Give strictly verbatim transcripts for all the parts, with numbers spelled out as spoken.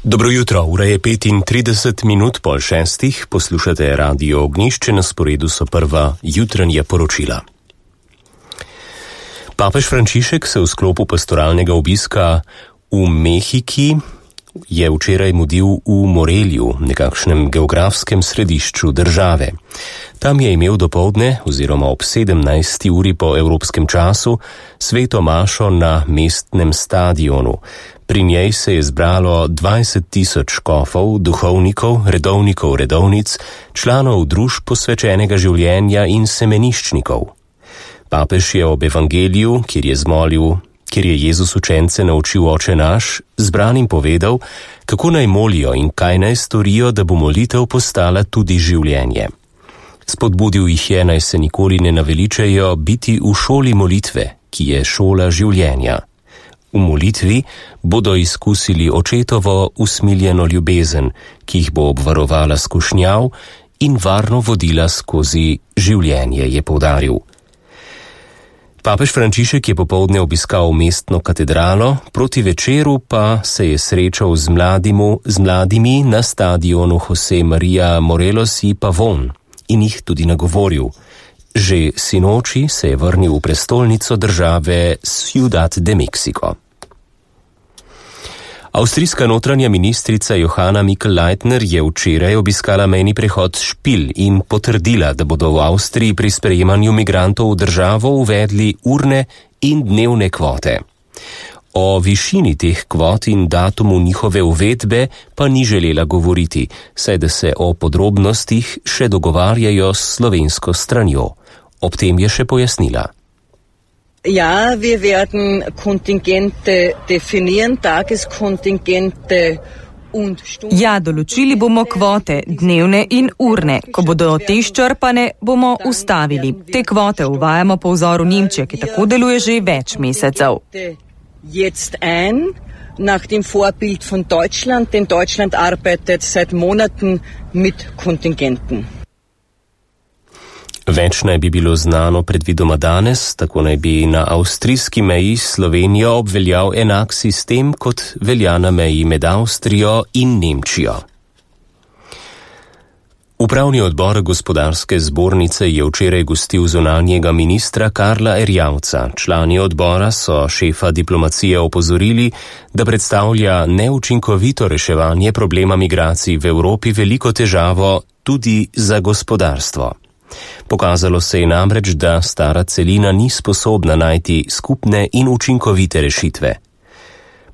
Dobro jutro, ura je petintrideset minut pol šestih, poslušate Radio Ognjišče, na sporedu so prva jutranja poročila. Papež Frančišek se v sklopu pastoralnega obiska v Mehiki je včeraj mudil v Morelju, nekakšnem geografskem središču države. Tam je imel dopoldne oziroma ob sedemnajsti uri po evropskem času sveto mašo na mestnem stadionu. Pri njej se je zbralo dvajset tisoč škofov, duhovnikov, redovnikov, redovnic, članov družb posvečenega življenja in semeniščnikov. Papež je ob evangeliju, kjer je zmolil, kjer je Jezus učence naučil Oče naš, zbranim povedal, kako naj molijo in kaj naj storijo, da bo molitev postala tudi življenje. Spodbudil jih je, naj se nikoli ne naveličajo biti v šoli molitve, ki je šola življenja. V molitvi bodo izkusili očetovo usmiljeno ljubezen, ki jih bo obvarovala skušnjav in varno vodila skozi življenje, je poudaril. Papež Frančišek je popoldne obiskal mestno katedralo, proti večeru pa se je srečal z, mladimu, z mladimi na stadionu José María Morelos y Pavón in jih tudi nagovoril. Že sinoči se je vrnil v prestolnico države Ciudad de México. Avstrijska notranja ministrica Johanna Mikl-Leitner je včeraj obiskala mejni prehod Špil in potrdila, da bodo v Avstriji pri sprejemanju migrantov v državo uvedli urne in dnevne kvote. O višini teh kvot in datumu njihove uvedbe pa ni želela govoriti, saj da se o podrobnostih še dogovarjajo s slovensko stranjo. Ob tem je še pojasnila. Ja, wir werden Kontingente definieren, Tageskontingente und Stunden. Ja, določili bomo kvote, dnevne in urne. Ko bodo te izčrpane, bomo ustavili. Te kvote uvajamo po vzoru Nemčije, ki tako deluje že več mesecev. Jetzt ein, nach dem Vorbild von Deutschland, denn Deutschland arbeitet seit Monaten mit Kontingenten. Več naj bi bilo znano predvidoma danes, tako naj bi na avstrijski meji s Slovenijo obveljal enak sistem, kot velja na meji med Avstrijo in Nemčijo. Upravni odbor gospodarske zbornice je včeraj gostil zunanjega ministra Karla Erjavca. Člani odbora so šefa diplomacije opozorili, da predstavlja neučinkovito reševanje problema migracij v Evropi veliko težavo tudi za gospodarstvo. Pokazalo se je namreč, da stara celina ni sposobna najti skupne in učinkovite rešitve.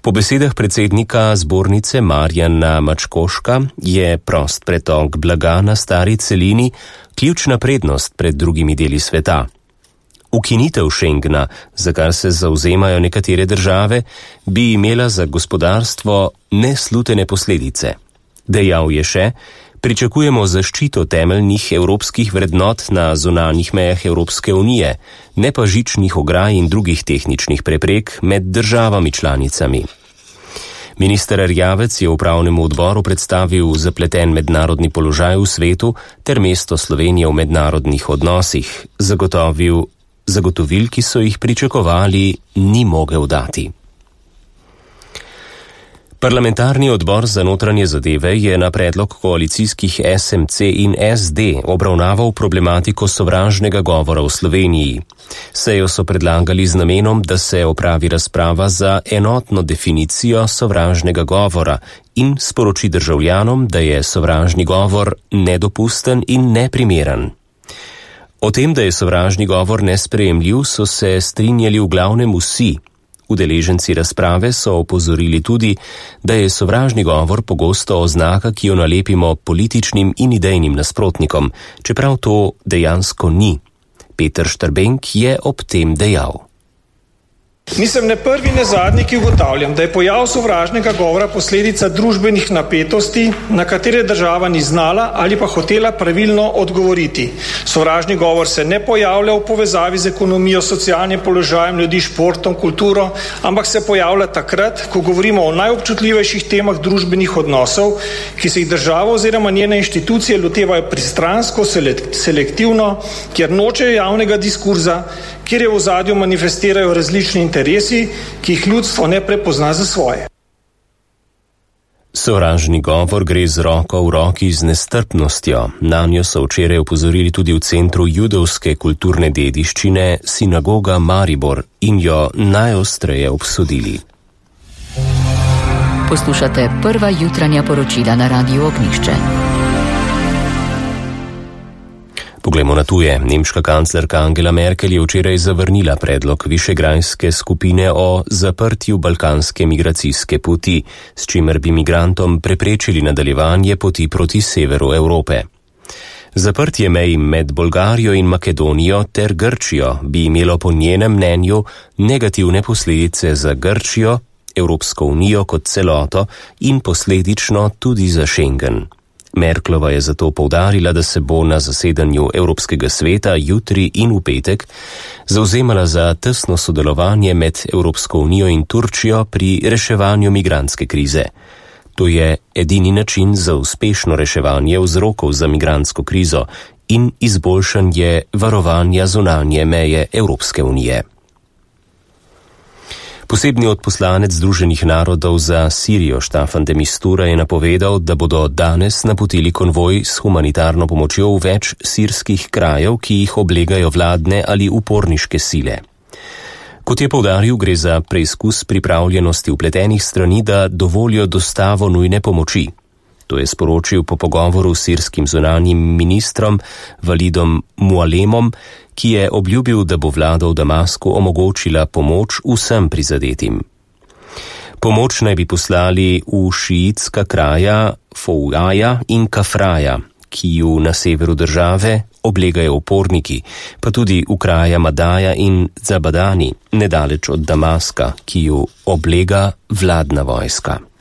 Po besedah predsednika zbornice Marjana Mačkoška je prost pretok blaga na stari celini ključna prednost pred drugimi deli sveta. Ukinitev Schengena, za kar se zauzemajo nekatere države, bi imela za gospodarstvo neslutene posledice. Dejal je še, pričakujemo zaščito temeljnih evropskih vrednot na zunanjih mejah Evropske unije, ne pa žičnih ograj in drugih tehničnih preprek med državami članicami. Minister Erjavec je upravnemu odboru predstavil zapleten mednarodni položaj v svetu ter mesto Slovenije v mednarodnih odnosih. Zagotovil, zagotovil, ki so jih pričakovali, ni mogel dati. Parlamentarni odbor za notranje zadeve je na predlog koalicijskih S M C in S D obravnaval problematiko sovražnega govora v Sloveniji. Sejo so predlagali z namenom, da se opravi razprava za enotno definicijo sovražnega govora in sporoči državljanom, da je sovražni govor nedopusten in neprimeren. O tem, da je sovražni govor nesprejemljiv, so se strinjali v glavnem vsi. Udeleženci razprave so opozorili tudi, da je sovražni govor pogosto oznaka, ki jo nalepimo političnim in idejnim nasprotnikom, čeprav to dejansko ni. Peter Štrbenk je ob tem dejal. Nisem ne prvi, ne zadnji, ki ugotavljam, da je pojav sovražnega govora posledica družbenih napetosti, na katere država ni znala ali pa hotela pravilno odgovoriti. Sovražni govor se ne pojavlja v povezavi z ekonomijo, socialnim položajem ljudi, športom, kulturo, ampak se pojavlja takrat, ko govorimo o najobčutljivejših temah družbenih odnosov, ki se jih država oziroma njene inštitucije lotevajo pristransko, selektivno, kjer nočejo javnega diskurza, kjer je v ozadju manifestirajo različni interesi, ki jih ljudstvo ne prepozna za svoje. Sovražni govor gre z roko v roki z nestrpnostjo. Nanjo so včeraj opozorili tudi v Centru judovske kulturne dediščine Sinagoga Maribor in jo najostreje obsodili. Poslušate prva jutranja poročila na Radiu Ognjišče. Poglejmo na tuje. Nemška kanclerka Angela Merkel je včeraj zavrnila predlog Višegrajske skupine o zaprtju balkanske migracijske poti, s čimer bi migrantom preprečili nadaljevanje poti proti severu Evrope. Zaprtje mej med Bolgarijo in Makedonijo ter Grčijo bi imelo po njenem mnenju negativne posledice za Grčijo, Evropsko unijo kot celoto in posledično tudi za Schengen. Merklova je zato poudarila, da se bo na zasedanju Evropskega sveta jutri in v petek zavzemala za tesno sodelovanje med Evropsko unijo in Turčijo pri reševanju migrantske krize. To je edini način za uspešno reševanje vzrokov za migrantsko krizo in izboljšanje varovanja zunanje meje Evropske unije. Posebni odposlanec Združenih narodov za Sirijo Staffan de Mistura je napovedal, da bodo danes napotili konvoj s humanitarno pomočjo v več sirskih krajev, ki jih oblegajo vladne ali uporniške sile. Kot je poudaril, gre za preizkus pripravljenosti vpletenih strani, da dovolijo dostavo nujne pomoči. To je sporočil po pogovoru s sirskim zunanjim ministrom Walidom Mualemom, ki je obljubil, da bo vlada v Damasku omogočila pomoč vsem prizadetim. Pomoč naj bi poslali v šiitska kraja Fouaja in Kafraja, ki ju na severu države oblegajo uporniki, pa tudi v kraja Madaja in Zabadani, nedaleč od Damaska, ki ju oblega vladna vojska.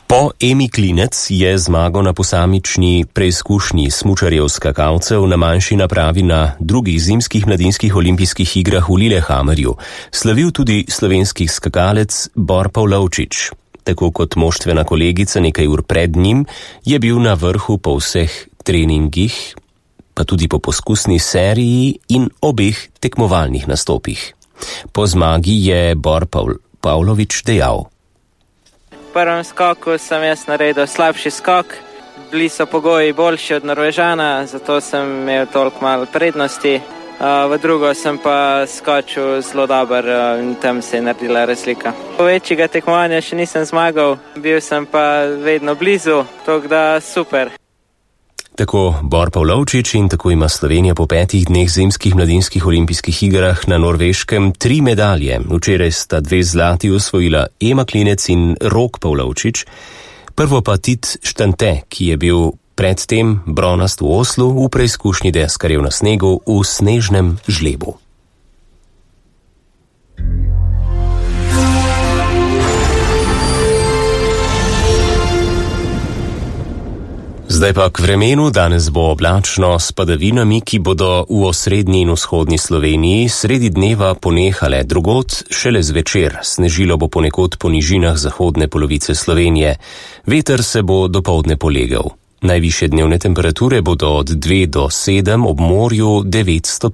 Po Emi Klinec je zmago na posamični preizkušnji smučarjev skakalcev na manjši napravi na drugih zimskih mladinskih olimpijskih igrah v Lillehammerju slavil tudi slovenski skakalec Bor Pavlovčič. Tako kot moštvena kolegica nekaj ur pred njim je bil na vrhu po vseh treningih, pa tudi po poskusni seriji in obeh tekmovalnih nastopih. Po zmagi je Bor Pavlovič dejal: V prvem skoku sem jaz naredil slabši skok, bili so pogoji boljši od Norvežana, zato sem imel toliko malo prednosti. V drugo sem pa skočil zelo dober in tam se je naredila razlika. Po večjega tekmovanja še nisem zmagal, bil sem pa vedno blizu, tako da super. Tako Bor Pavlovčič in tako ima Slovenija po petih dneh zimskih mladinskih olimpijskih igrah na Norveškem tri medalje. Včeraj sta dve zlati osvojila Ema Klinec in Rok Pavlovčič, prvo pa Tit Štante, ki je bil predtem bronast v Oslu v preizkušnji deskarjev na snegu v snežnem žlebu. Zdaj pa k vremenu. Danes bo oblačno s padavinami, ki bodo v osrednji in vzhodni Sloveniji sredi dneva ponehale, drugod šele zvečer. Snežilo bo ponekod po nižinah zahodne polovice Slovenije. Veter se bo dopoldne polegel. Najvišje dnevne temperature bodo od dve do sedem, ob morju devet stopinj.